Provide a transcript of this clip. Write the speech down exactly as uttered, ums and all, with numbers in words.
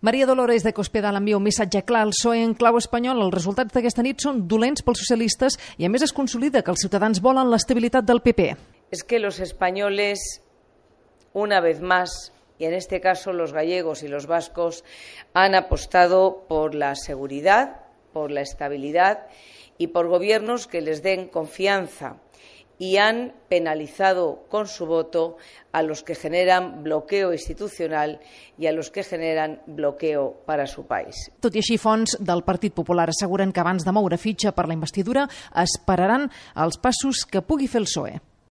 Maria Dolores de Cospedal envia un missatge clar al P S O E en clau espanyol. Els resultats d'aquesta nit són dolents pels socialistes i a més es consolida que els ciutadans volen l'estabilitat del P P. Es que los españoles, una vez más, y en este caso los gallegos y los vascos, han apostado por la seguridad, por la estabilidad y por gobiernos que les den confianza, y han penalizado con su voto a los que generan bloqueo institucional y a los que generan bloqueo para su país. Tot i així, fonts del Partit Popular asseguren que abans de moure fitxa per la investidura esperaran els passos que pugui fer el P S O E.